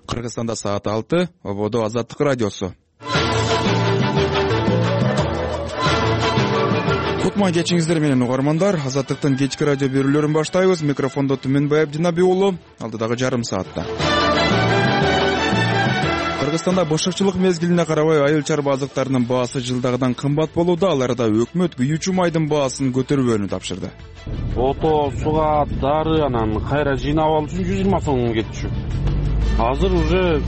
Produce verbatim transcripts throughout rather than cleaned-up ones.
Кыргызстанда саат алты, ободо Азаттык радиосу. Кутман кечиңиздер менен угармандар. Азаттыктын кечки радио берүүлөрүн баштайбыз. Микрофондо Түмөнбай Абдинаби уулу. Алдыдагы жарым саатта Кыргызстанда башкачылык мезгилине карабай айыл чарба азыктарынын баасы жылдагыдан кымбат болууда. Аларда өкмөт күйүүчү майдын баасын көтөрбөөнү тапшырды. Ото, суга, дары анан кайра жыйнап алуу үчүн жүз жыйырма сом кетчү. Азыр уже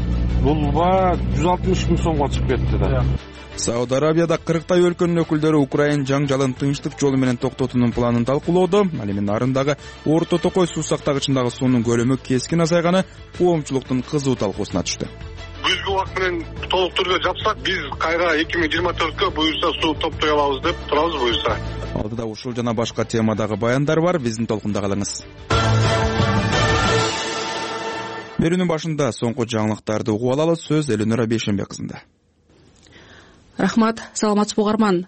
бул баа жүз алтымыш миң сомго чыгып кетти да. Сауд Арабияда кырктай өлкөнүн өкүлдөрү Украин жаңжалын тынчтык жолу менен токтотуунун планын талкуулоодо. Ал эми нарындагы Орто Токой суу сактагычындагы суунун көлөмү кескин азайганы коомчулуктун кызуу талкуусуна түштү. Бүгүнкү убакыт менен толук түрдө жапсак, биз кайра эки миң жыйырма төрткө буюрса суу топтой алабыз деп турабыз буюрса. Алдыда ушул жана башка темадагы баяндар бар. Биздин толкунда калыңыз. Берүүнүн башында соңку жаңылыктарды угуп алалы. Сөз Элөнөр Абейшенбек кызында. Рахмат, саламатсызбы угарман.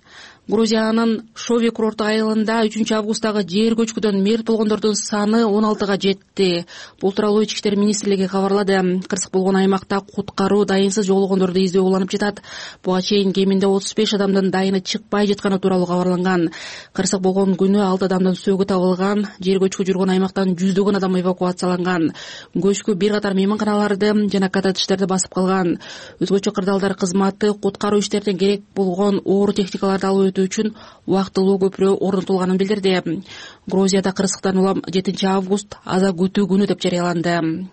Грузиянын Шови курорттук айылында үчүнчү августтагы жер көчкүдөн мерт болгондордун саны он алтыга жетти. Бул тууралуу Ички иштер министрлиги кабарлады. Кырсык болгон аймакта куткаруу дайынсыз жоголгондорду издөө уланып жатат. Буга чейин кеминде отуз беш адамдын дайыны чыкпай жатканы тууралуу кабарланган. Кырсык болгон күнү алты адамдын сөөгү табылган. Жер көчкү жүргөн аймактан жүздөгөн адам эвакуацияланган. Көчкү бир катар мейманканаларды жана коттедждерди басып калган. Өзгөчө кырдаалдар кызматы куткаруу иштерине керек болгон оор техникаларды алып үчүн убактылуу көпүрө орнотулганын билдирди. Грузияда кырсыктан улам жетинчи август аза күтүү күнү деп жарыяланды.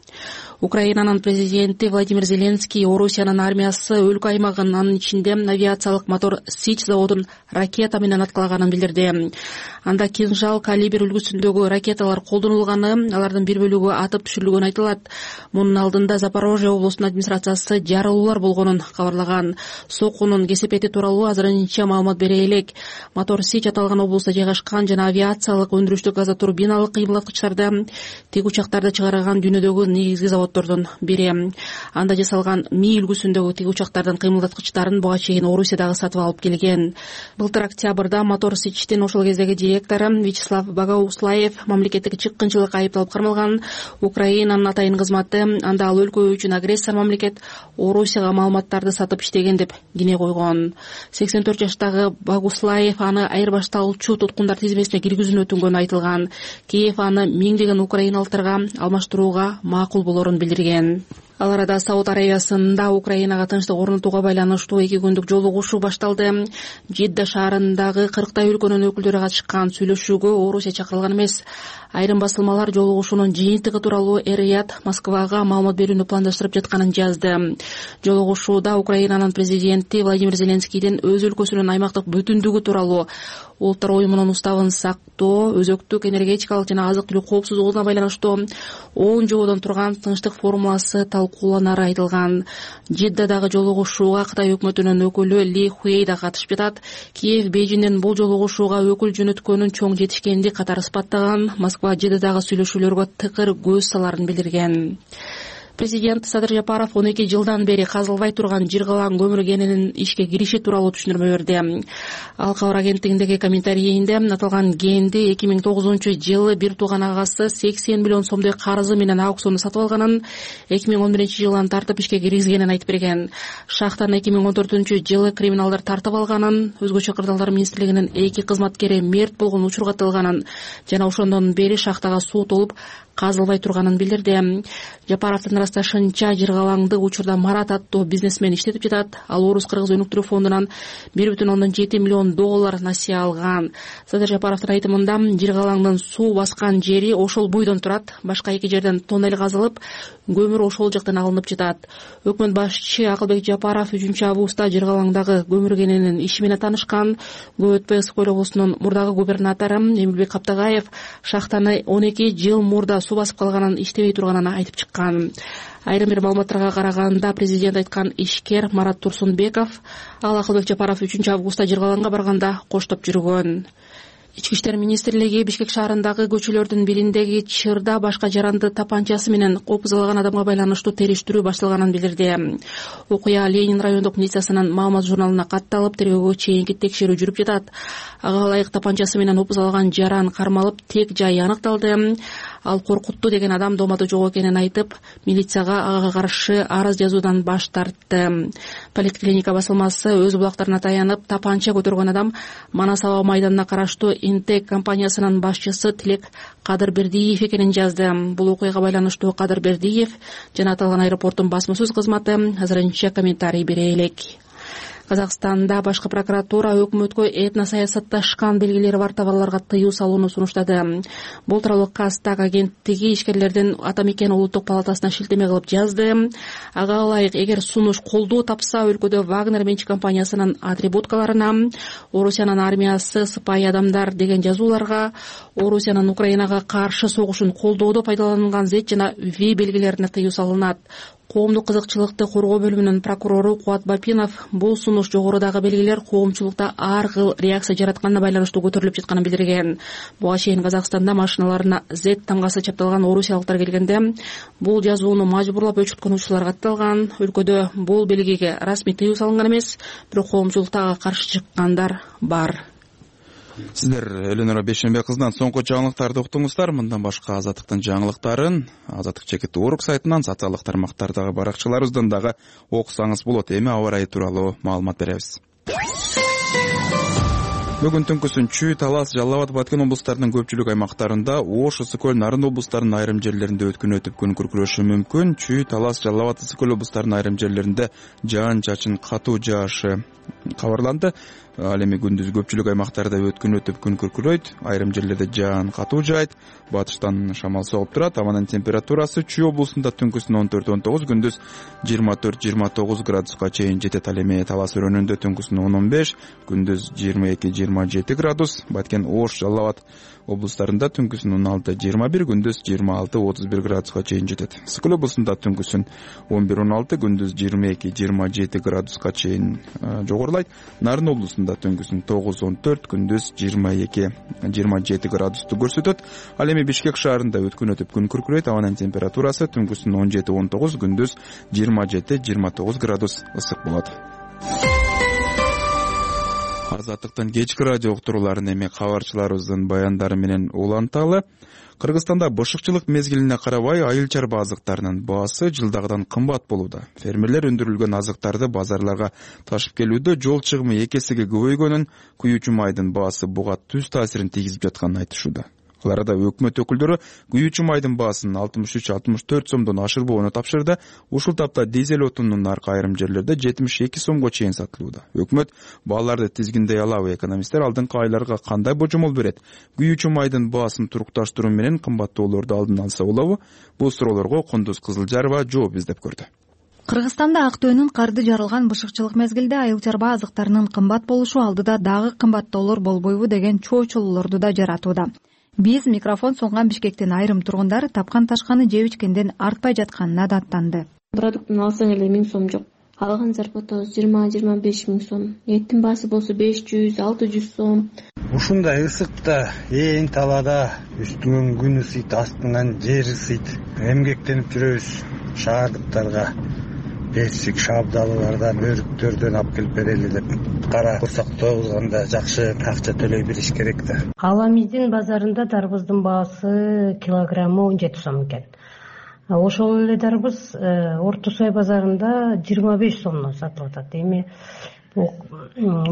Украинанын президенти Владимир Зеленский Орусиянын армиясы өлкө аймагын, анын ичинде авиациялык мотор Сич заводун ракета менен аткалаганын билдирди. Анда кинжал калибр үлгүсүндөгү ракеталар колдонулганы, алардын бир бөлүгү атып түшүрүлгөнү айтылат. Мунун алдында Запорожье облусунун администрациясы жарылуулар болгонун кабарлаган. Сокунун кесепети тууралуу азырынча маалымат бере элек. Мотор Сич аталган облустта жайгашкан жана авиациялык өндүрүштүк газотурбиналык кыймылдаткычтарды, тик учактарды чыгарган дүйнөдөгү негизги заводдордун бири. Анда жасалган Ми үлгүсүндөгү тик учактардын кыймылдаткычтарын буга чейин Орусиядагы сатып алып келген. Былтыр октябрда Мотор Сичтин ошол кездеги директору Вячеслав Богоуслаев мамлекеттик чыккынчылыкка айыпталып кармалган. Украинанын атайын кызматы анда ал өлкө үчүн агрессор мамлекет Орусияга маалыматтарды сатып иштеген деп кине койгон. сексен төрт жаштагы Богуслаев аны айырбашталчу туткундар тизмесине киргизүүнү өтүнгөнү айтылган. Киев аны миңдеген украиналыктарга алмаштырууга макул болорун билдирген. Ал арада Сауд Арабиясында Украинага тынчтык орнотууга байланыштуу эки күндүк жолугушуу башталды. Жидда шаарындагы кырктай өлкөнүн өкүлдөрү катышкан сүйлөшүүгө Орусия чакырылган эмес. Айрым басылмалар жолугушуунун жыйынтыгы тууралуу Эр-Рияд Москвага маалымат берүүнү пландаштырып жатканын жазды. Жолугушууда Украинанын президенти Владимир Зеленскийдин өз өлкөсүнүн аймактык бүтүндүгү тууралуу, улуттар уюмунун уставын сактоо, өзөктүк энергетикалык жана азык-түлүк коопсуздугуна байланыштуу он жободон турган тынчтык формуласы талкууланары айтылган. Жиддадагы жолугушууга Кытай өкмөтүнүн өкүлү Ли Хуэй да катышып жатат. Киев Бейжиңдин бул жолугушууга өкүл жөнөткөнүн чоң жетишкендик катары ыспаттаган. Москва Жиддадагы сүйлөшүүлөргө тыкыр көз саларын билдирген. Президент Садыр Жапаров он эки жылдан бери казылбай турган жыргалаң көмүр кенинин ишке кириши тууралуу түшүндүрмө берди. Ал кабар агенттигиндеги комментарийинде аталган кенди эки миң тогузунчу жылы бир тууган агасы сексен миллион сомдой карызы менен аукциондо сатып алганын, эки миң он биринчи жылдан тартып ишке киргизгенин айтып берген. Шахтаны эки миң он төртүнчү жылы криминалдар тартып алганын, өзгөчө кырдаалдар министрлигинин эки кызматкери мерт болгон учурга тылганын жана ошондон бери шахтага суу толуп казылбай турганын билдирди. Жапаровдун ырасташынча жыргалаңды учурда Марат аттуу бизнесмен иштетип жатат. Ал Орус кыргыз өнүктүрүү фондунан бир бүтүн ондон жети миллион доллар насыя алган. Садыр Жапаровдун айтымында жыргалаңдын суу баскан жери ошол буйдон турат. Башка эки жерден тоннель казылып, көмүр ошол жактан алынып жатат. Өкмөт башчы Акылбек Жапаров үчүнчү августта жыргалаңдагы көмүр кенинин иши менен таанышкан. Көп өтпөй Ысык көл облусунун мурдагы губернатору Эмилбек Каптагаев шахтаны он эки жыл мурда суу басып калганын, иштебей турганын айтып чыккан. Айрым бир маалыматтарга караганда президент айткан ишкер Марат Турсунбеков ал Акылбек Жапаров үчүнчү августта жыргалаңга барганда коштоп жүргөн. Ички иштер министрлиги Бишкек шаарындагы көчөлөрдүн бириндеги чырда башка жаранды тапанчасы менен опузалаган адамга байланыштуу териштирүү башталганын билдирди. Окуя Ленин райондук милициясынын маалымат журналына катталып, тергөөгө чейинки текшерүү жүрүп жатат. Ага ылайык тапанчасы менен опузалаган жаран кармалып, тек жайы аныкталды. ал коркутту деген адам доомадо жок экенин айтып, милицияга ага каршы арыз жазуудан баш тартты. Политклиника басылмасы өз булактарына таянып, тапанча көтөргөн адам Манас аба майданына караштуу Интек компаниясынын башчысы Тилек Кадырбердиев экенин жазды. Бул окуяга байланыштуу Кадырбердиев жана аталган аэропорттун басма сөз кызматы азырынча комментарий бере элек. Казакстанда башкы прокуратура өкмөткө этно саясатташкан белгилери бар товарларга тыюу салууну сунуштады. Бул тууралуу Казтаг агенттиги ишкерлердин Атамекен улуттук палатасына шилтеме кылып жазды. Ага ылайык, эгер сунуш колдоо тапса, өлкөдө Вагнер менчик компаниясынын атрибуткаларына, Орусиянын армиясы сыпайы адамдар деген жазууларга, Орусиянын Украинага каршы согушун колдоодо пайдаланган Z жана V белгилерине тыюу салынат. Коомдук кызыкчылыкты коргоо бөлүмүнүн прокурору Кубат Бапинов бул сунуш жогорудагы белгилер коомчулукта ар кыл реакция жаратканына байланыштуу көтөрүлүп жатканын билдирген. Буга чейин Казакстанда машиналарына Z тамгасы чапталган орусиялыктар келгенде бул жазууну мажбурлап өчүрткөн учурлар катталган. Өлкөдө бул белгиге расмий тыюу салынган эмес, бирок коомчулукта ага каршы чыккандар бар. Сиздер Эленора Бешенбе кызынан соңку жаңылыктарды уктуңуздар. Мындан башка Азаттыктын жаңылыктарын Азаттык чекит орг сайтынан, социалдык тармактардагы баракчаларыбыздан дагы окусаңыз болот. Эми аба ырайы тууралуу маалымат беребиз. Бүгүн түнкүсүн Чүй, Талас, Жалал Абад, Баткен облустарынын көпчүлүк аймактарында, Ош, Ысык көл, Нарын облустарынын айрым жерлеринде өткүн өтүп күн күркүрөшү мүмкүн. Чүй, Талас, Жалал Абад, Ысык көл облустарынын айрым жерлеринде жаан чачын катуу жаашы кабарланды. Ал эми күндүз көпчүлүк аймактарда өткүн өтүп күн күркүрөйт, айрым жерлерде жаан катуу жаайт, батыштан шамал согуп турат. Абанын температурасы Чүй облусунда түнкүсүн он төрт он тогуз, күндүз жыйырма төрт жыйырма тогуз градуска чейин жетет. Ал эми Талас өрөөнүндө түнкүсүн он он беш, күндүз жыйырма эки жыйырма жети градус. Баткен, Ош, Жалал Абад облустарында түнкүсүн он алты жыйырма бир, күндүз жыйырма алты отуз бир градуска чейин жетет. Ысык көл облусунда түнкүсүн он бир он алты, күндүз жыйырма эки жыйырма жети градуска чейин жогорулайт. Нарын облусунда түнкүсүн тогуз он төрт, күндүз жыйырма эки жыйырма жети градусту көрсөтөт. Ал эми Бишкек шаарында өткүн өтүп күн күркүрөйт. Абанын температурасы түнкүсүн он жети он тогуз, күндүз жыйырма жети жыйырма тогуз градус ысык болот. Азаттыктын кечки радио уктурууларын эми кабарчыларыбыздын баяндары менен уланталы. Кыргызстанда бышыкчылык мезгилине карабай айыл чарба азыктарынын баасы жылдагыдан кымбат болууда. Фермерлер өндүрүлгөн азыктарды базарларга ташып келүүдө жол чыгымы эки эсеге көбөйгөнүн, күйүүчү майдын баасы буга түз таасирин тийгизип жатканын айтышууда. Алар да өкмөт өкүлдөрү күйүүчү майдын баасын алтымыш үч алтымыш төрт сомдон ашырбоону тапшырды. Ушул тапта дизель отунунун наркы айрым жерлерде жетимиш эки сомго чейин сатылууда. Өкмөт бааларды тизгиндей алабы? Экономисттер алдыңкы айларга кандай божомол берет? Күйүүчү майдын баасын турукташтыруу менен кымбаттоолорду алдын алса болобу? Бул суроолорго Кундуз Кызылжарова жооп издеп көрдү. Кыргызстанда Актөөнүн карды жарылган бышыкчылык мезгилде айыл чарба азыктарынын кымбат болушу алдыда дагы кымбаттоолор болбойбу деген чоочулуулорду да жаратууда. Биз микрофон сунган Бишкектин айрым тургундары тапкан ташканы жеп ичкенден артпай жатканына даттанды. Продуктун алсаң эле миң сом жок. Алган зарплатабыз жыйырма жыйырма беш миң сом. Эттин баасы болсо беш жүз алты жүз сом. Ушундай ысыкта, ээн талаада үстүңөн күн ысыйт, астыңан жер ысыйт. Эмгектенип жүрөбүз. Шаардыктарга бесик шабдалуулардан, өрүктөрдөн алып келип берели деп кара курсак тогузганда жакшы акча төлөй билиш керек да. Аламиздин базарында дарбыздын баасы килограммы он жети сом экен. Ошол эле дарбыз Орто Сой базарында жыйырма беш сомдон сатылып атат. Эми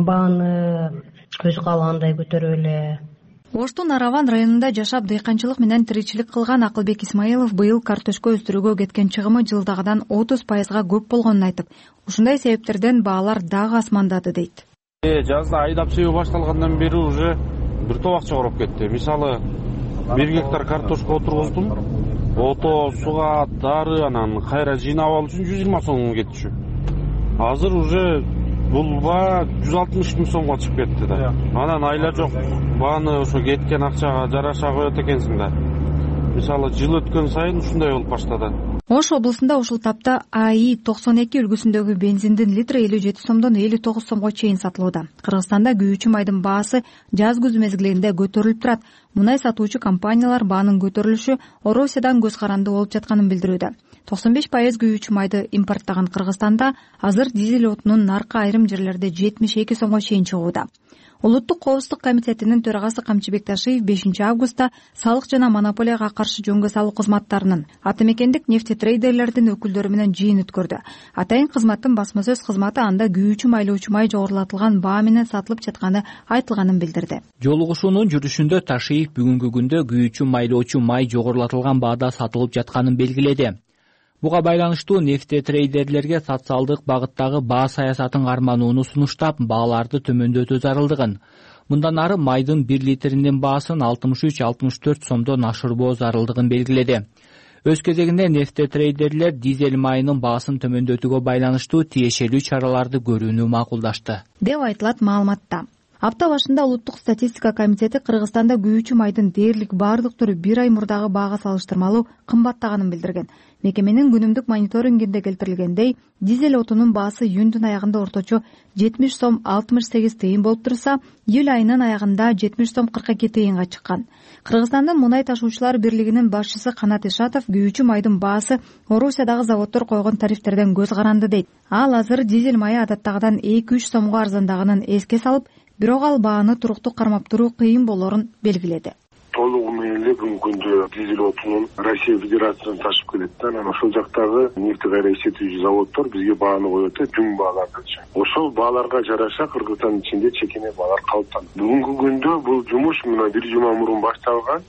бааны көз каалагандай көтөрүп эле. Оштун Араван районунда жашап дыйканчылык менен тиричилик кылган Акылбек Исмаилов быйыл картошка өстүрүүгө кеткен чыгымы жылдагыдан отуз пайызга көп болгонун айтып, ушундай себептерден баалар дагы асмандады дейт. Жазда айдап себүү башталгандан бери уже бир топ акча короп кетти. Мисалы бир гектар картошка отургуздум. Ото, суга, дары, анан кайра жыйнап алуу үчүн жүз жыйырма сом кетчү. Азыр уже бул баа жүз алтымыш миң сомго чыгып кетти да. Анан айла жок. Бааны ошо кеткен акчага жараша коет экенсиң да. Мисалы жыл өткөн сайын ушундай болуп баштады. Ош облусунда ушул тапта АИ токсон эки үлгүсүндөгү бензиндин литри элүү жети сомдон элүү тогуз сомго чейин сатылууда. Кыргызстанда күйүүчү майдын баасы жаз күз мезгилинде көтөрүлүп турат. Мунай сатуучу компаниялар баанын көтөрүлүшү Орусиядан көз каранды болуп жатканын билдирүүдө. токсон беш пайыз күйүүчү майды импорттаган Кыргызстанда азыр дизель отунун наркы айрым жерлерде жетимиш эки сомго чейин чыгууда. Улуттук коопсуздук комитетинин төрагасы Камчыбек Ташиев бешинчи августта салык жана монополияга каршы жөнгө салуу кызматтарынын атамекендик нефтетрейдерлердин өкүлдөрү менен жыйын өткөрдү. Атайын кызматтын басма сөз кызматы анда күйүүчү майлоочу май жогорулатылган баа менен сатылып жатканы айтылганын билдирди. Жолугушуунун жүрүшүндө Ташиев бүгүнкү күндө күйүүчү майлоочу май жогорулатылган баада сатылып жатканын белгиледи. Буга байланыштуу нефтетрейдерлерге социалдык багыттагы баа саясатын карманууну сунуштап, бааларды төмөндөтүү зарылдыгын, мындан ары майдын бир литринин баасын алтымыш үч алтымыш төрт сомдон ашырбоо зарылдыгын белгиледи. Өз кезегинде нефтетрейдерлер дизель майынын баасын төмөндөтүүгө байланыштуу тиешелүү чараларды көрүүнү макулдашты, деп айтылат маалыматта. Апта башында Улуттук статистика комитети Кыргызстанда күйүүчү майдын дээрлик баардык түрү бир ай мурдагы баага салыштырмалуу кымбаттаганын билдирген. Мекеменин күнүмдүк мониторингинде келтирилгендей, дизель отунун баасы июндун аягында орточо жетимиш сом алтымыш сегиз тыйын болуп турса, июль айынын аягында жетимиш сом кырк эки тыйынга чыккан. Кыргызстандын мунай ташуучулар бирлигинин башчысы Канат Ишатов күйүүчү майдын баасы Орусиядагы заводдор койгон тарифтерден көз каранды дейт. Ал азыр дизель майы адаттагыдан эки үч сомго арзандаганын эске салып, бирок ал бааны туруктуу кармап туруу кыйын болоорун белгиледи. Толугу менен эле бүгүнкү күндө дизель отунун Россия Федерациясынан ташып келет да, анан ошол жактагы нефть кайра иштетүүчү заводдор бизге бааны коет да, жүң баалардычы. Ошол бааларга жараша Кыргызстандын ичинде чекене баалар калыптанды. Бүгүнкү күндө бул жумуш мына бир жума мурун башталган.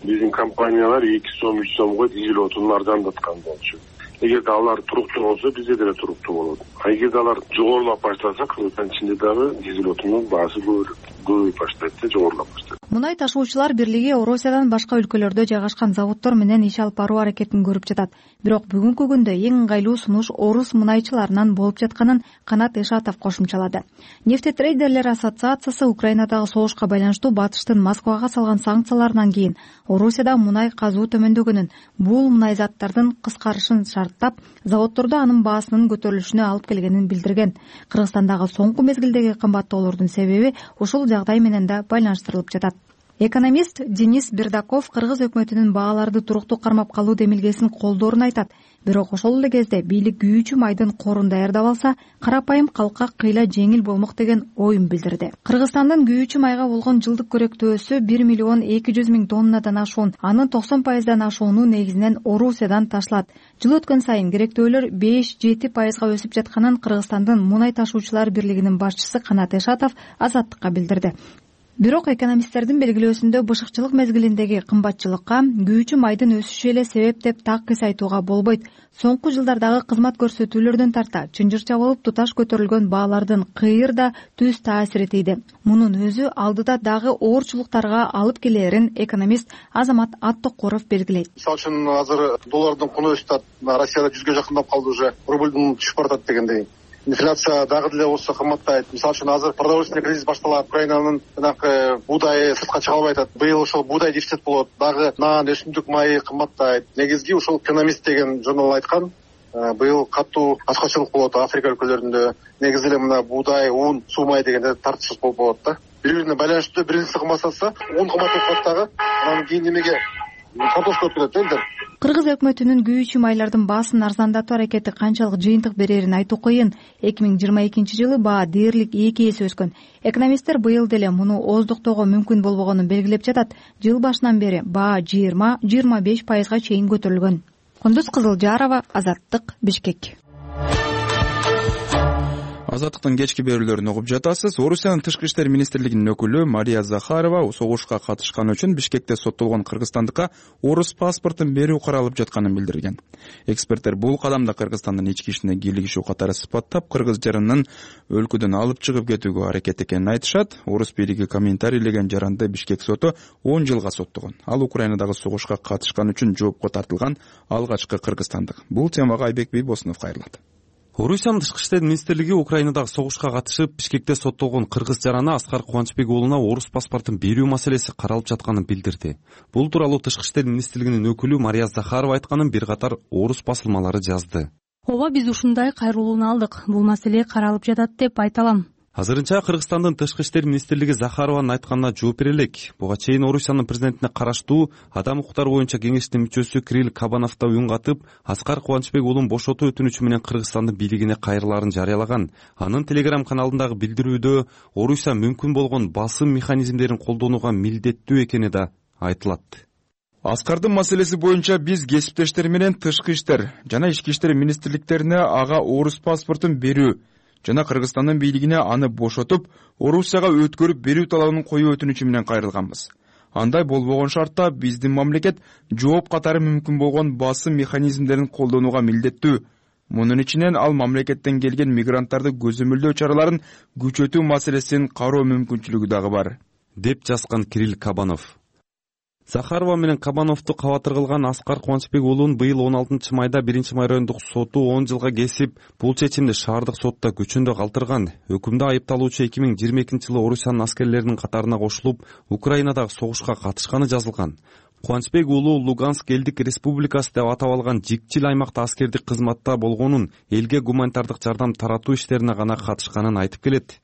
Биздин компаниялар эки сом үч сомго дизель отунун арзандаткан болчу. Эгерде алар туруктуу болсо, бизде деле туруктуу болот. А эгерде алар жогорулап баштаса, Кыргызстандын ичинде дагы дизель отунун баасы көбөйүп баштайт да, жогорулап баштайт. Мунай ташуучулар бирлиги Орусиядан башка өлкөлөрдө жайгашкан заводдор менен иш алып баруу аракетин көрүп жатат. Бирок бүгүнкү күндө эң ыңгайлуу сунуш орус мунайчыларынан болуп жатканын Канат Ишатов кошумчалады. Нефтетрейдерлер ассоциациясы Украинадагы согушка байланыштуу Батыштын Москвага салган санкцияларынан кийин Орусияда мунай казуу төмөндөгөнүн, бул мунай заттардын кыскарышын шарттап, заводдордо анын баасынын көтөрүлүшүнө алып келгенин билдирген. Кыргызстандагы соңку мезгилдеги кымбаттоолордун себеби ушул жагдай менен да байланыштырылып жатат. Экономист Денис Бердаков кыргыз өкмөтүнүн бааларды туруктуу кармап калуу демилгесин колдоорун айтат. Бирок ошол эле кезде бийлик күйүүчү майдын корун даярдап алса, карапайым калкка кыйла жеңил болмок деген оюн билдирди. Кыргызстандын күйүүчү майга болгон жылдык көрөктөөсү бир миллион эки жүз миң тоннадан ашуун, анын токсон пайыздан ашууну негизинен Орусиядан ташылат. Жыл өткөн сайын керектөөлөр беш жети пайызга өсүп жатканын Кыргызстандын мунай ташуучулар бирлигинин башчысы Канат Ишатов Азаттыкка билдирди. Бирок экономисттердин белгилөөсүндө бышыкчылык мезгилиндеги кымбатчылыкка күйүүчү майдын өсүшү эле себеп деп так кыйс айтууга болбойт. Соңку жылдардагы кызмат көрсөтүүлөрдөн тарта чынжырча болуп туташ көтөрүлгөн баалардын кыйыр да түз таасири тийди. Мунун өзү алдыда дагы оорчулуктарга алып келээрин экономист Азамат Аттокуров белгилейт. Мисалы үчүн азыр доллардын куну өсүп, Россияда жүзгө жакындап калды уже, рублдун түшүп баратат дегендей. Инфляция дагы деле болсо кымбаттайт. Мисалы үчүн азыр продовольственный кризис башталат. Украинанын жанагы буудайы сыртка чыга албай атат. Быйыл ошол буудай дефицит болот. Дагы нан, өсүмдүк майы кымбаттайт. Негизги ушул экономист деген журнал айткан, быйыл катуу ачкачылык болот Африка өлкөлөрүндө. Негизи эле мына буудай, ун, суу май дегенде тартыш болуп болот да. Бири-бирине байланыштуу, биринчиси кымбаттаса, ун кымбаттап калат дагы. Анан кийин немеге картошка өтүп кетет элдер. Кыргыз өкмөтүнүн күйүүчү майлардын баасын арзандатуу аракети канчалык жыйынтык берерин айтуу кыйын. эки миң жыйырма экинчи жылы баа дээрлик эки эсе өскөн. Экономисттер быйыл деле муну ооздуктоого мүмкүн болбогонун белгилеп жатат. Жыл башынан бери баа жыйырма жыйырма беш пайызга чейин көтөрүлгөн. Кундуз Кызылжарова, Азаттык, Бишкек. Азаттыктын кечки берүүлөрүн угуп жатасыз. Орусиянын тышкы иштер министрлигинин өкүлү Мария Захарова согушка катышканы үчүн Бишкекте соттолгон кыргызстандыкка орус паспортун берүү каралып жатканын билдирген. Эксперттер бул кадамды Кыргызстандын ички ишине кийлигишүү катары сыпаттап, кыргыз жаранын өлкөдөн алып чыгып кетүүгө аракет экенин айтышат. Орус бийлиги комментарийлеген жаранды Бишкек соту он жылга соттогон. Ал Украинадагы согушка катышканы үчүн жоопко тартылган алгачкы кыргызстандык. Бул темага Айбек Бийбосунов кайрылат. Орусиянын тышкы иштер министрлиги Украинадагы согушка катышып, Бишкекте соттолгон кыргыз жараны Аскар Кубанычбек уулуна орус паспортун берүү маселеси каралып жатканын билдирди. Бул тууралуу тышкы иштер министрлигинин өкүлү Мария Захарова айтканын бир катар орус басылмалары жазды. Ооба, биз ушундай кайрылууну алдык. Бул маселе каралып жатат деп айта алам. Азырынча Кыргызстандын тышкы иштер министрлиги Захарованын айтканына жооп бере элек. Буга чейин Орусиянын президентине караштуу адам укуктары боюнча кеңештин мүчөсү Кирилл Кабанов да үн катып, Аскар Кубанычбек уулун бошотуу өтүнүчү менен Кыргызстандын бийлигине кайрылаарын жарыялаган. Анын Телеграм каналындагы билдирүүдө Орусия мүмкүн болгон басым механизмдерин колдонууга милдеттүү экени да айтылат. Аскардын маселеси боюнча биз кесиптештер менен тышкы иштер жана ички иштер министрликтерине ага орус паспортун берүү жана Кыргызстандын бийлигине аны бошотуп, Орусияга өткөрүп берүү талабын коюу өтүнүчү менен кайрылганбыз. Андай болбогон шартта биздин мамлекет жооп катары мүмкүн болгон басым механизмдерин колдонууга милдеттүү. Мунун ичинен ал мамлекеттен келген мигранттарды көзөмөлдөө чараларын күчөтүү маселесин кароо мүмкүнчүлүгү дагы бар, деп жазган Кирилл Кабанов. Захарова менен Кабановду кабатыр кылган Аскар Кубанычбек уулун быйыл он алтынчы майда биринчи май райондук соту он жылга кесип, бул чечимди шаардык сотто күчүндө калтырган. Өкүмдө айыпталуучу эки миң жыйырма экинчи жылы Орусиянын аскерлеринин катарына кошулуп, Украинадагы согушка катышканы жазылган. Кубанычбек уулу Луганск элдик республикасы деп атап алган жикчил аймакта аскердик кызматта болгонун, элге гуманитардык жардам таратуу иштерине гана катышканын айтып келет.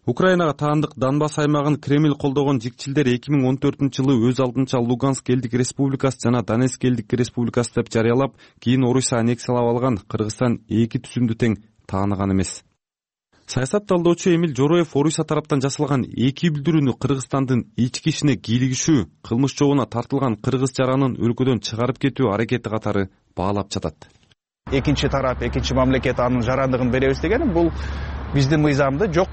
Украинага таандык Донбасс аймагын Кремль колдогон жикчилдер эки миң он төртүнчү жылы өз алдынча Луганск элдик республикасы жана Донецк элдик республикасы деп жарыялап, кийин Орусия аннексиялап алган. Кыргызстан эки түзүмдү тең тааныган эмес. Саясат талдоочу Эмил Жороев Орусия тараптан жасалган эки билдирүүнү Кыргызстандын ички ишине кийлигишүү, кылмыш жообуна тартылган кыргыз жаранын өлкөдөн чыгарып кетүү аракети катары баалап жатат. Экинчи тарап, экинчи мамлекет анын жарандыгын беребиз деген бул биздин мыйзамды жок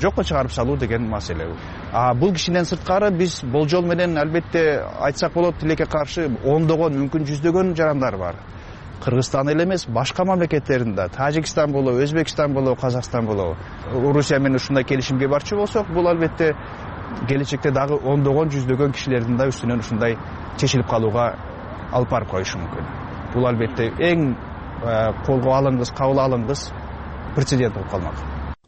жокко чыгарып салуу деген маселе. А бул кишинен сырткары биз болжол менен албетте айтсак болот, тилекке каршы ондогон, мүмкүн жүздөгөн жарандар бар. Кыргызстан эле эмес, башка мамлекеттеринде, Тажикстан болобу, Өзбекстан болобу, Казакстан болобу, Орусия менен ушундай келишимге барчу болсок, бул албетте келечекте дагы ондогон, жүздөгөн кишилердин да үстүнөн ушундай чечилип калууга алып барып коюшу мүмкүн. Бул албетте эң колго алынгыс, кабыл алынгыс прецедент болуп калмак.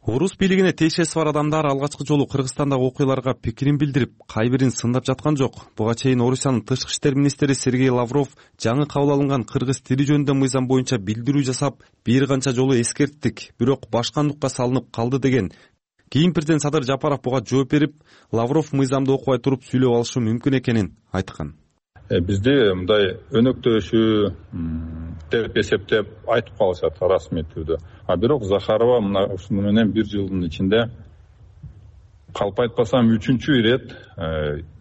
Орус бийлигине тиешеси бар адамдар алгачкы жолу Кыргызстандагы окуяларга пикирин билдирип, кайбирин сындап жаткан жок. Буга чейин Орусиянын тышкы иштер министри Сергей Лавров жаңы кабыл алынган кыргыз тили жөнүндө мыйзам боюнча билдирүү жасап, бир канча жолу эскерттик, бирок башкандыкка салынып калды деген. Кийин президент Садыр Жапаров буга жооп берип, Лавров мыйзамды окубай туруп сүйлөп алышы мүмкүн экенин айткан. Бизде мындай өнөктөшүү деп эсептеп айтып калышат расмий түрдө. А бирок Захарова мына ушуну менен бир жылдын ичинде калп айтпасам үчүнчү ирет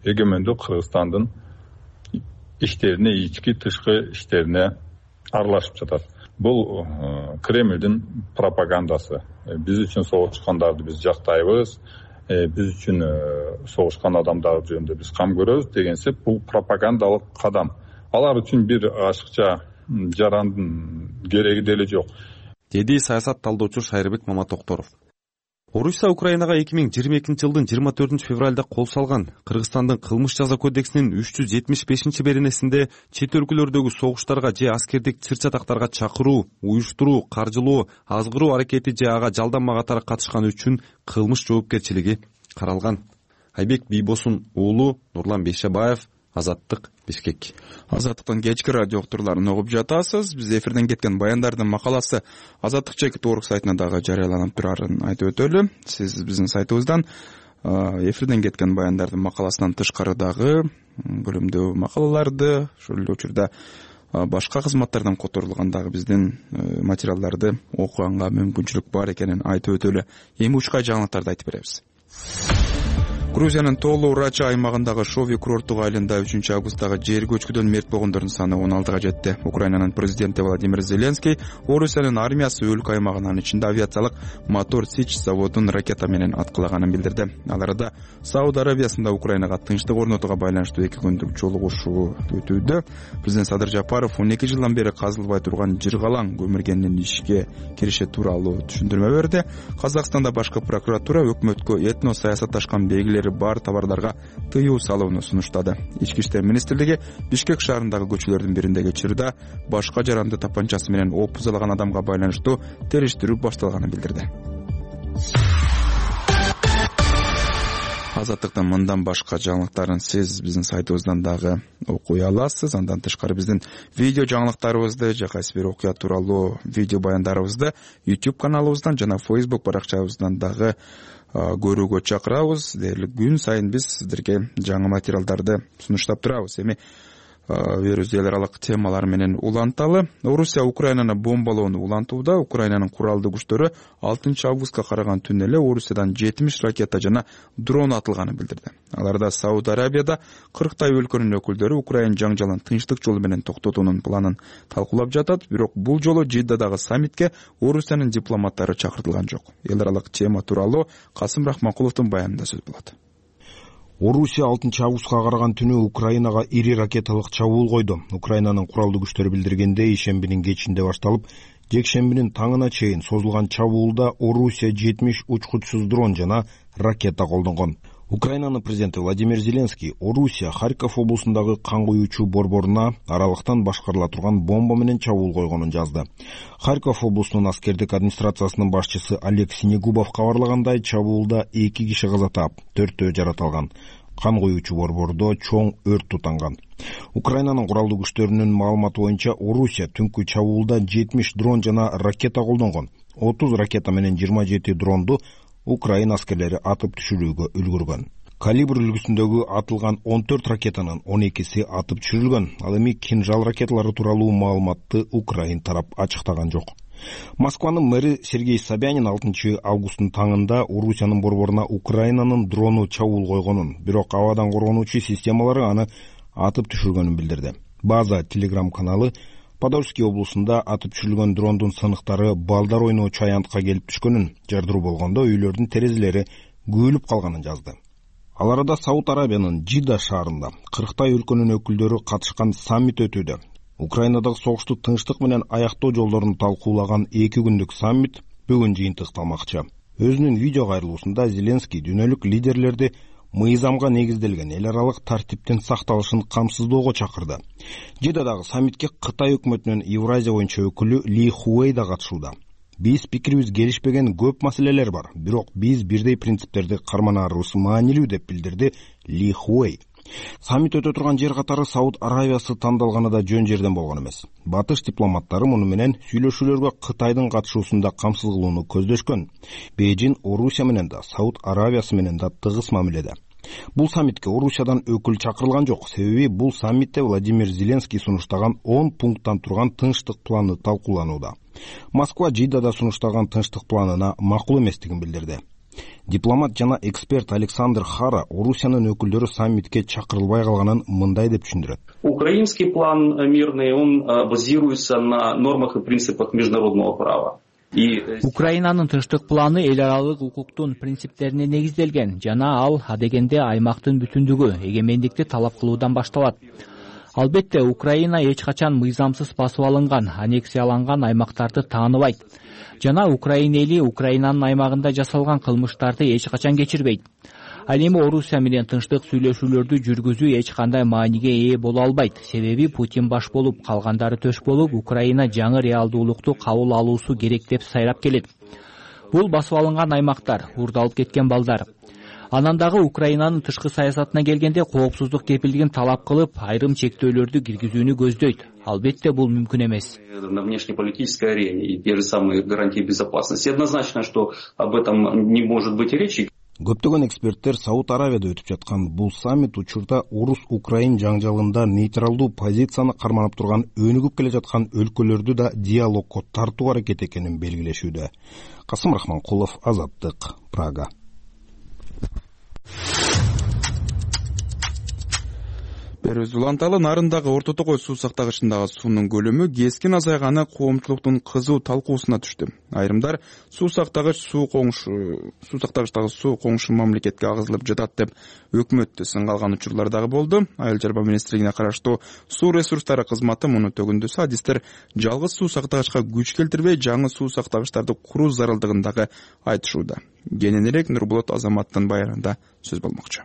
эгемендүү Кыргызстандын иштерине, ички тышкы иштерине аралашып жатат. Бул Кремлдин пропагандасы. Биз үчүн согушкандарды биз жактайбыз, биз үчүн согушкан адамдар жөнүндө биз кам көрөбүз дегенсеп, бул пропагандалык кадам. Алар үчүн бир ашыкча жарандын кереги деле жок, деди саясат талдоочу Шайырбек Маматокторов. Орусия Украинага эки миң жыйырма экинчи жылдын жыйырма төртүнчү февралда кол салган. Кыргызстандын кылмыш жаза кодексинин үч жүз жетимиш бешинчи беренесинде чет өлкөлөрдөгү согуштарга же аскердик чыр-чатактарга чакыруу, уюштуруу, каржылоо, азгыруу аракети же ага жалданма катары катышканы үчүн кылмыш жоопкерчилиги каралган. Айбек Бийбосун уулу, Нурлан Бейшебаев, Азаттык, Бишкек. Азаттыктын кечки радио уктурларын угуп жатасыз. Биз эфирден кеткен баяндардын макаласы Азаттык чекит орг сайтына дагы жарыяланып турарын айтып өтөлү. Сиз биздин сайтыбыздан эфирден кеткен баяндардын макаласынан тышкары дагы бөлүмдүү макалаларды, ошол эле учурда башка кызматтардан которулган дагы биздин материалдарды окуганга мүмкүнчүлүк бар экенин айтып өтөлү. Эми учкай жаңылыктарды айтып беребиз. Грузиянын Толу Рача аймагындагы Шови курорттук айылында үчүнчү августтагы жер көчкүдөн мерт болгондордун саны он алтыга жетти. Украинанын президенти Владимир Зеленский Орусиянын армиясы өлкө аймагынын ичинде авиациялык мотор Сич заводун ракета менен аткылаганын билдирди. Ал арада Сауд Арабиясында Украинага тынчтык орнотууга байланыштуу эки күндүк жолугушуу өтүүдө. Президент Садыр Жапаров он эки жылдан бери казылбай турган жыргалаң көмүргенин ишке кириши тууралуу түшүндүрмө берди. Казакстанда башкы прокуратура өкмөткө этно саясатташкан белгилер бар товарларга тыюу салууну сунуштады. Ички иштер министрлиги Бишкек шаарындагы көчөлөрдүн бириндеги чырда башка жаранды тапанчасы менен оп бузалаган адамга байланыштуу териштирүү башталганын билдирди. Азаттыктын мындан башка жаңылыктарын сиз биздин сайтыбыздан дагы окуй аласыз. Андан тышкары биздин видео жаңылыктарыбызды же кайсы бир окуя тууралуу видео баяндарыбызды YouTube каналыбыздан жана Facebook баракчабыздан дагы көрүүгө чакырабыз. Дээрлик күн сайын биз сиздерге жаңы материалдарды сунуштап турабыз. Эми берүүбүз эл аралык темалар менен уланталы. Орусия Украинаны бомбалоону улантууда. Украинанын куралдуу күчтөрү алтынчы августка караган түнү эле Орусиядан жетимиш ракета жана дрон атылганын билдирди. Аларда Сауд Арабияда кырктай өлкөнүн өкүлдөрү Украин жаңжалын тынчтык жолу менен токтотуунун планын талкуулап жатат. Бирок бул жолу Жиддадагы саммитке Орусиянын дипломаттары чакыртылган жок. Эл аралык тема тууралуу Касым Рахманкуловдун баянында сөз болот. Орусия алтынчы августка караган түнү Украинага ири ракеталык чабуул койду. Украинанын куралдуу күчтөрү билдиргендей, ишембинин кечинде башталып, жекшембинин таңына чейин созулган чабуулда Орусия жетимиш учкучсуз дрон жана ракета колдонгон. Украинанын президенти Владимир Зеленский Орусия Харьков облусундагы кан куюучу борборуна аралыктан башкарыла турган бомба менен чабуул койгонун жазды. Харьков облусунун аскердик администрациясынын башчысы Олег Синегубов кабарлагандай, чабуулда эки киши каза таап, төртөө жарат алган. Кан куюучу борбордо чоң өрт тутанган. Украинанын куралдуу күчтөрүнүн маалыматы боюнча, Орусия түнкү чабуулда жетимиш дрон жана ракета колдонгон. отуз ракета менен жыйырма жети дронду Украина аскерлери атып түшүрүүгө үлгүргөн. Калибр үлгүсүндөгү атылган он төрт ракетанын он экиси атып түшүрүлгөн. Ал эми кинжал ракеталары тууралуу маалыматты Украин тарап ачыктаган жок. Москванын мэри Сергей Собянин алтынчы августтун таңында Орусиянын борборуна Украинанын дрону чабуул койгонун, бирок абадан коргонуучу системалары аны атып түшүргөнүн билдирди. База Telegram каналы Подольский облусунда атып түшүрүлгөн дрондун сыныктары балдар ойноочу аянтка келип түшкөнүн, жардыруу болгондо үйлөрдүн терезелери күйүлүп калганын жазды. Ал арада Сауд Арабиянын Жидда шаарында кырктай өлкөнүн өкүлдөрү катышкан саммит өтүүдө. Украинадагы согушту тынчтык менен аяктоо жолдорун талкуулаган эки күндүк саммит бүгүн жыйынтыкталмакчы. Өзүнүн видео кайрылуусунда Зеленский дүйнөлүк лидерлерди мыйзамга негизделген эл аралык тартиптин сакталышын камсыздоого чакырды. Жиддадагы саммитке Кытай өкмөтүнүн Евразия боюнча өкүлү Ли Хуэй да катышууда. Биз пикирибиз келишпеген көп маселелер бар, бирок биз бирдей принциптерди карманаарыбыз маанилүү деп билдирди Ли Хуэй. Саммит өтө турган жер катары Сауд Арабиясы тандалганы да жөн жерден болгон эмес. Батыш дипломаттары муну менен сүйлөшүүлөргө Кытайдын катышуусунда камсыз кылууну көздөшкөн. Бейжин Орусия менен да, Сауд Арабиясы менен да тыгыз мамиледе. Бул саммитке Орусиядан өкүл чакырылган жок, себеби бул саммитте Владимир Зеленский сунуштаган он пункттан турган тынчтык планы талкууланууда. Москва Жиддада сунуштаган тынчтык планына макул эместигин билдирди. Дипломат жана эксперт Александр Хара Орусиянын өкүлдөрү саммитке чакырылбай калганын мындай деп түшүндүрөт. Украинский план мирный, он базируется на нормах и принципах международного права. Украинанын тынчтык планы эл аралык укуктун принциптерине негизделген жана ал адегенде аймактын бүтүндүгү, эгемендикти талап кылуудан башталат. Албетте, Украина эч качан мыйзамсыз басып алынган, аннексияланган аймактарды тааныбайт. Жана Украина эли Украинанын аймагында жасалган кылмыштарды эч качан кечирбейт. Ал эми Орусия менен тынчтык сүйлөшүүлөрдү жүргүзүү эч кандай мааниге ээ боло албайт. Себеби Путин баш болуп, калгандары төш болуп, Украина жаңы реалдуулукту кабыл алуусу керек деп сайрап келет. Бул басып алынган аймактар, урдалып кеткен балдар. Анан дагы Украинанын тышкы саясатына келгенде коопсуздук кепилдигин талап кылып, айрым чектөөлөрдү киргизүүнү көздөйт. Албетте, бул мүмкүн эмес. На внешнеполитической арене и те же самые гарантии безопасности. Однозначно, что об этом не может быть речи. Көптөгөн эксперттер Сауд Арабияда өтүп жаткан бул саммит учурда Орус-Украин жаңжалында нейтралдуу позицияны карманып турган өнүгүп келе жаткан өлкөлөрдү да диалогко тартуу аракет экенин белгилешүүдө. Касым Рахманкулов, Азаттык, Прага. Берүүбүз уланталы. Нарындагы Орто Токой суу сактагычындагы суунун көлөмү кескин азайганы коомчулуктун кызуу талкуусуна түштү. Айрымдар суу сактагыч суу коңшу суу сактагычтагы суу коңшу мамлекетке агызылып жатат деп өкмөттү сынга алган учурлар дагы болду. Айыл чарба министрлигине караштуу суу ресурстары кызматы муну төгүндүсө, адистер жалгыз суу сактагычка күч келтирбей, жаңы суу сактагычтарды куруу зарылдыгын дагы айтышууда. Кененирээк Нурболот Азаматтын баянында сөз болмокчу.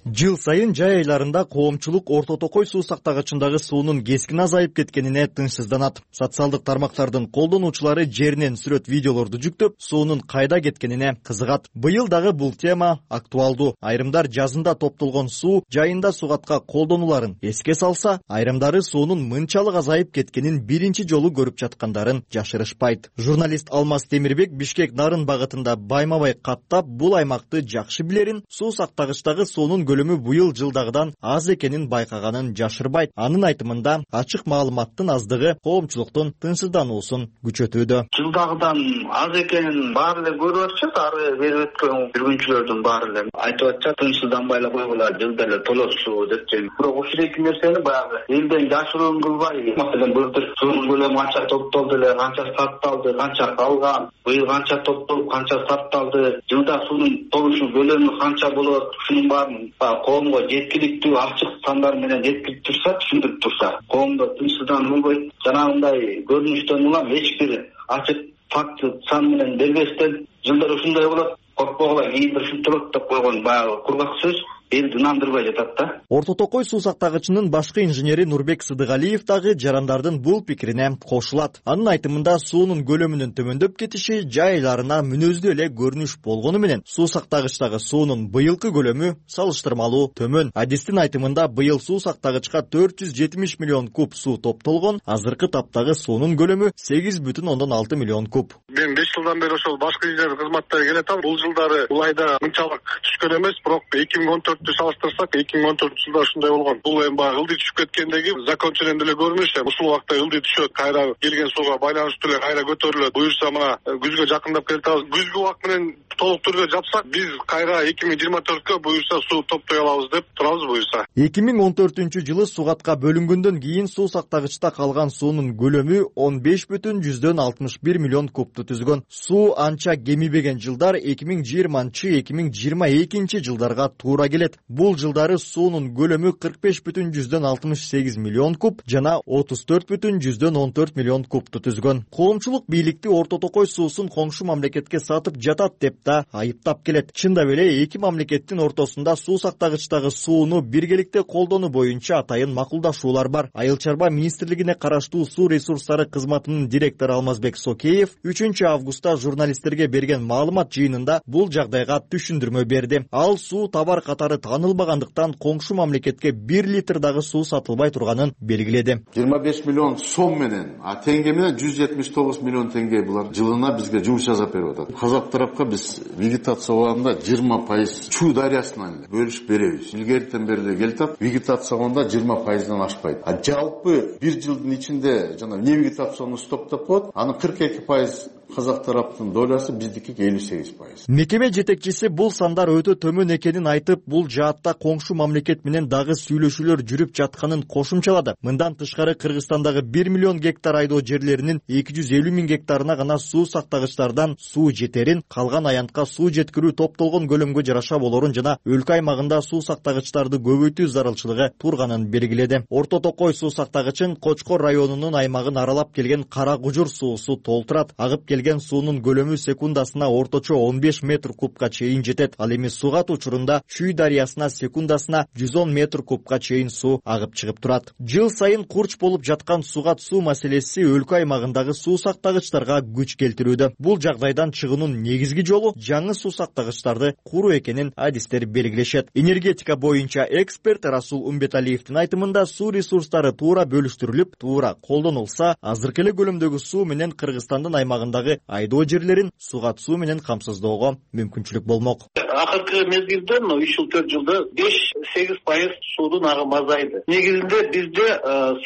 Жыл сайын жай айларында коомчулук Орто Токой суу сактагычындагы суунун кескин азайып кеткенине тынчсызданат. Социалдык тармактардын колдонуучулары жеринен сүрөт видеолорду жүктөп, суунун кайда кеткенине кызыгат. Быйыл дагы бул тема актуалдуу. Айрымдар жазында топтолгон суу жайында сугатка колдонуларын эске салса, айрымдары суунун мынчалык азайып кеткенин биринчи жолу көрүп жаткандарын жашырышпайт. Журналист Алмаз Темирбек Бишкек Нарын багытында байма-бай каттап, бул аймакты жакшы билерин, суу сактагычтагы суунун көлөмү быйыл жылдагыдан аз экенин байкаганын жашырбайт. Анын айтымында ачык маалыматтын аздыгы коомчулуктун тынчсыздануусун күчөтүүдө. Жылдагыдан аз экенин баары эле көрүп атышат, ары берип өткөн жүргүнчүлөрдүн баары эле айтып атышат, тынчсызданбай эле койгула, жылда эле толосу деп. Бирок ушул эки нерсени баягы элден жашыруун кылбай, маселен былтыр суунун көлөмү канча топтолду эле, канча сатталды, канча калган, быйыл канча топтолуп, канча сатталды, жылда суунун толушу көлөмү канча болот, ушунун баарын коомго жеткиликтүү ачык сандар менен жеткирип турса, түшүндүрүп турса, коомдо тынчсыздануу болбойт. Жанагындай көрүнүштөн улам эч бир ачык факт сан менен бербестен жылдар ушундай болот, коркпогула, кийин ушинтип болот деп койгон баягы кургак сөз элди нандырбай жатат да. Орто Токой суу сактагычынын башкы инженери Нурбек Сыдыгалиев дагы жарандардын бул пикирине кошулат. Анын айтымында суунун көлөмүнүн төмөндөп кетиши жай айларына мүнөздүү эле көрүнүш болгону менен суу сактагычтагы суунун быйылкы көлөмү салыштырмалуу төмөн. Адистин айтымында быйыл суу сактагычка төрт жүз жетимиш миллион куб суу топтолгон, азыркы таптагы суунун көлөмү сегиз бүтүн ондон алты миллион куб. Мен беш жылдан бери ошол башкы инженер кызматтары келатам. Бул жылдары бул айда мынчалык түшкөн эмес, бирок эки миң он төрттү салыштырсак, эки миң он төртүнчү жылда ушундай болгон. Бул эми баягы ылдый түшүп кеткендеги закон менен деле көрүнүш. Ушул убакта ылдый түшөт, кайра келген сууга байланыштуу эле кайра көтөрүлөт. Буюрса мына күзгө жакындап келатабыз. Күзгү убак менен толук түрдө жапсак, биз кайра эки миң жыйырма төрткө буюрса суу топтой алабыз деп турабыз буюрса. эки миң он төртүнчү жылы сугатка бөлүнгөндөн кийин суу сактагычта калган суунун көлөмү он беш бүтүн жүздөн алтымыш бир миллион кубту түзгөн. Суу анча кемибеген жылдар эки миң жыйырманчы эки миң жыйырма экинчи жылдарга туура келет. Бул жылдары суунун көлөмү кырк беш бүтүн жүздөн алтымыш сегиз миллион куб жана отуз төрт бүтүн жүздөн он төрт миллион кубту түзгөн. Коомчулук бийликти Орто Токой суусун коңшу мамлекетке сатып жатат деп да айыптап келет. Чындап эле эки мамлекеттин ортосунда суу сактагычтагы сууну биргеликте колдонуу боюнча атайын макулдашуулар бар. Айыл чарба министрлигине караштуу суу ресурстары кызматынын директору Алмазбек Сокеев үчүнчү августта журналисттерге берген маалымат жыйынында бул жагдайга түшүндүрмө берди. Ал суу товар катары танылбагандыктан коңшу мамлекетке бир литр дагы суу сатылбай турганын белгиледи. жыйырма беш миллион сом менен, а теңге менен жүз жетимиш тогуз миллион теңге булар жылына бизге жумуш жасап берип атат. Казак тарапка биз вегетация убагында жыйырма пайыз Чуу дарыясынан бөлүшүп беребиз. Илгертен бери эле келатат, вегетация убагында жыйырма пайыздан ашпайт. А жалпы бир жылдын ичинде жана не вегетацияны стоптоп коет, анын кырк эки пайыз казак тараптын долясы, биздики элүү сегиз пайыз. Мекеме жетекчиси бул сандар өтө төмөн экенин айтып, бул жаатта коңшу мамлекет менен дагы сүйлөшүүлөр жүрүп жатканын кошумчалады. Мындан тышкары Кыргызстандагы бир миллион гектар айдоо жерлеринин эки жүз элүү миң гектарына гана суу сактагычтардан суу жетерин, калган аянтка суу жеткирүү топтолгон көлөмгө жараша болорун жана өлкө аймагында суу сактагычтарды көбөйтүү зарылчылыгы турганын белгиледи. Орто Токой суу сактагычын Кочкор районунун аймагын аралап келген Кара Кужур суусу толтурат. Агып келген суунун көлөмү секундасына орточо он беш метр кубка чейин жетет. Ал эми сугат учурунда Чүй дарыясына секундасына жүз он метр кубка чейин суу агып чыгып турат. Жыл сайын курч болуп жаткан сугат суу маселеси өлкө аймагындагы суу сактагычтарга күч келтирүүдө. Бул жагдайдан чыгуунун негизги жолу жаңы суу сактагычтарды куруу экенин адистер белгилешет. Энергетика боюнча эксперт Расул Умбеталиевдин айтымында суу ресурстары туура бөлүштүрүлүп, туура колдонулса, азыркы эле көлөмдөгү суу менен Кыргызстандын аймагындагы айдоо жерлерин сугат суу менен камсыздоого мүмкүнчүлүк болмок. Акыркы мезгилде мына үч жыл төрт жылда беш сегиз пайыз суудун агымы азайды. Негизинде бизде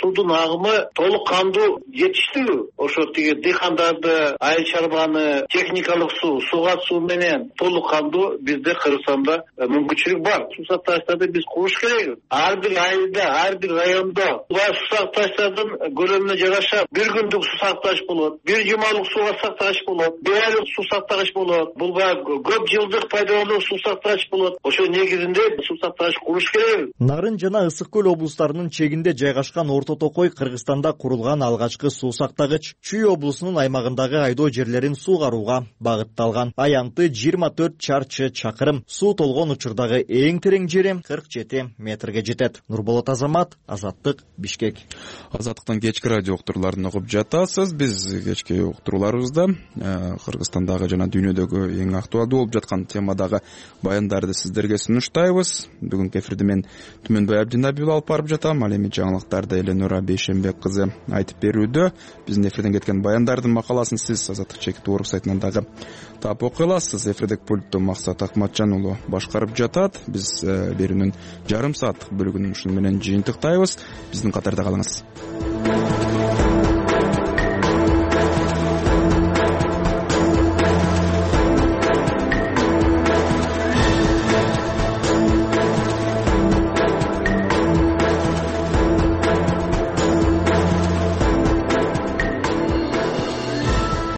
суудун агымы толук кандуу жетиштүү. Ошо тиги дыйкандарды, айыл чарбаны, техникалык суу, сугат суу менен толук кандуу бизде Кыргызстанда мүмкүнчүлүк бар. Суу сактагычтарды биз куруш керек. Ар бир айылда, ар бир райондо суу сактагычтардын көлөмүнө жараша бир күндүк суу сактагыч болот. Бир жумалык сууга сактагыч болот, беайлык суу сактагыч болот, бул баягы көп жылдык пайдалануу суу сактагыч болот. Ошо негизинде суу сактагыч куруш керек. Нарын жана Ысык көл облустарынын чегинде жайгашкан Орто Токой Кыргызстанда курулган алгачкы суу сактагыч Чүй облусунун аймагындагы айдоо жерлерин суугарууга багытталган. Аянты жыйырма төрт чарчы чакырым, суу толгон учурдагы эң терең жери кырк жети метрге жетет. Нурболот Азамат, Азаттык, Бишкек. Азаттыктан кечки радио уктурууларын угуп жатасыз. Биз кечки уктурууларыбызда Кыргызстандагы жана дүйнөдөгү эң актуалдуу болуп жаткан темадагы баяндарды сиздерге сунуштайбыз. Бүгүнкү эфирди мен Түмөнбай Абдинабиев алып барып жатам. Ал эми жаңылыктарды Эленора Бейшенбек кызы айтып берүүдө. Биздин эфирден кеткен баяндардын макаласын сиз Азаттык чекит орг сайтынан дагы таап окуй аласыз. Эфирдеги пультту Максат Акматжан уулу башкарып жатат. Биз берүүнүн жарым сааттык бөлүгүн ушуну менен жыйынтыктайбыз. Биздин катарда калыңыз.